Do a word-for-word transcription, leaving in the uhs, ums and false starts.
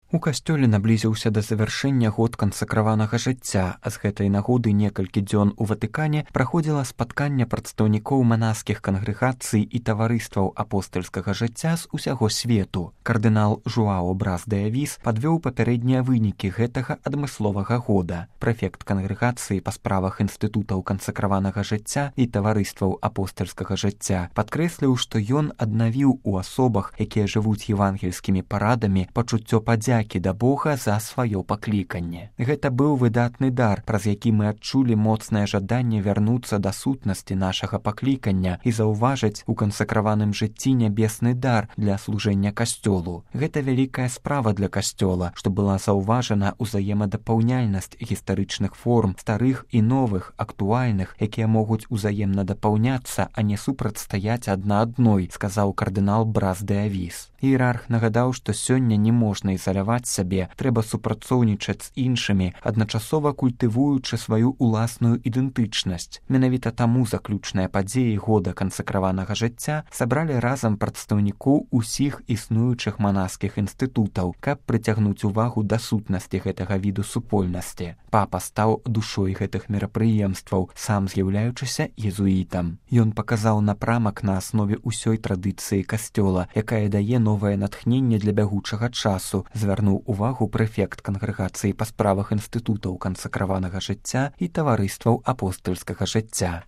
У касцёле наблізіўся да завяршэння год кансакраванага жыцця, а з гэтай нагоды некалькі дзён у Ватыкане праходзіла спатканне прадстаўнікоў манаскіх кангрэгацый і таварыстваў апостальскага жыцця з усяго свету. Кардынал Жуао Брас де Авіс падвёў папярэднія вынікі гэтага адмысловага года. Прэфект кангрэгацыі па справах інстытутаў кансакраванага жыцця і таварыстваў апостальскага жыцця падкрэсліў, што ён аднавіў у асобах, якія жывуць евангельскімі парадамі, пачуццё падзякі да Бога за сваё пакліканне. Гэта быў выдатны дар, праз які мы адчулі моцнае жаданне вярнуцца да сутнасці нашага паклікання і заўважыць у кансакраваным жыцці нябесны дар для служэння касцёлу. Гэта вялікая справа для касцёла, што была заўважана ўзаемадапаўняльнасць гістарычных форм, старых і новых, актуальных, якія могуць узаемна дапаўняцца, а не супрацьстаяць адна адной, сказаў кардынал Брас де Авіс. Іерарх нагадаў, што сёння не можна ізаляваць сабе, трэба супрацоўнічаць з іншымі, адначасова культывуючы сваю уласную ідэнтычнасць. Менавіта таму заключныя падзеі года кансакраванага жыцця сабралі разам прадстаўнікоў усіх існуючых манаскіх інстытутаў, каб прыцягнуць увагу да сутнасці гэтага віду супольнасці. Папа стаў душой гэтых мерапрыемстваў, сам з'яўляючыся езуітам. Ён паказаў напрамак на аснове ўсёй традыцыі касцёла, якая дае новае натхненне для бягучага часу, звярнуў увагу прэфект кангрэгацыі па справах інстытутаў кансакраванага жыцця і таварыстваў апостальскага жыцця.